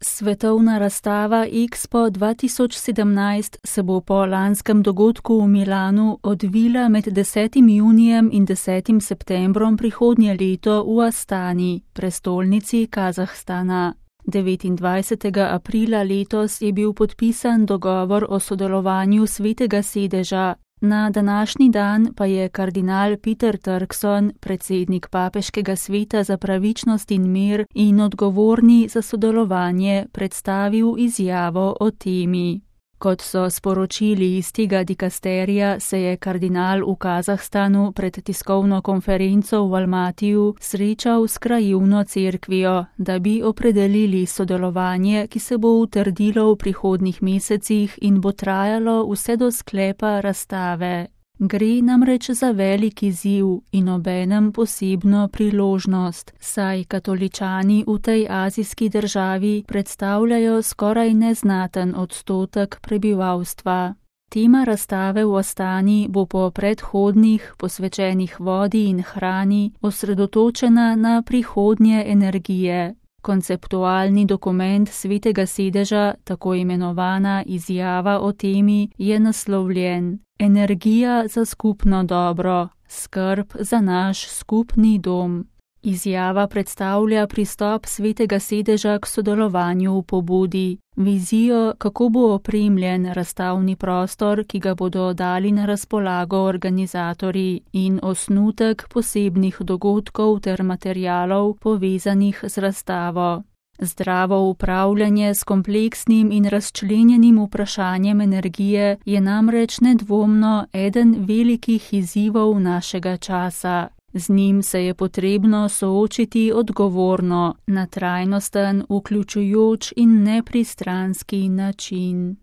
Svetovna razstava Expo 2017 se bo po lanskem dogodku v Milanu odvila med 10. junijem in 10. septembrom prihodnje leto v Astani, prestolnici Kazahstana. 29. aprila letos je bil podpisan dogovor o sodelovanju Svetega sedeža. Na današnji dan pa je kardinal Peter Turkson, predsednik Papeškega sveta za pravičnost in mir in odgovorni za sodelovanje, predstavil izjavo o temi. Kot so sporočili iz tega dikasterija, se je kardinal v Kazahstanu pred tiskovno konferenco v Almatiju srečal s krajevno cerkvijo, da bi opredelili sodelovanje, ki se bo utrdilo v prihodnjih mesecih in bo trajalo vse do sklepa razstave. Gre namreč za velik izziv in obenem posebno priložnost, saj katoličani v tej azijski državi predstavljajo skoraj neznaten odstotek prebivalstva. Tema razstave v Astani bo po predhodnih, posvečenih vodi in hrani, osredotočena na prihodnje energije. Konceptualni dokument Svetega sedeža, tako imenovana izjava o temi, je naslovljen Energija za skupno dobro, skrb za naš skupni dom. Izjava predstavlja pristop Svetega sedeža k sodelovanju v pobudi, vizijo, kako bo opremljen razstavni prostor, ki ga bodo dali na razpolago organizatorji, in osnutek posebnih dogodkov ter materialov povezanih z razstavo. Zdravo upravljanje s kompleksnim in razčlenjenim vprašanjem energije je namreč nedvomno eden velikih izzivov našega časa. Z njim se je potrebno soočiti odgovorno, na trajnosten, vključujoč in nepristranski način.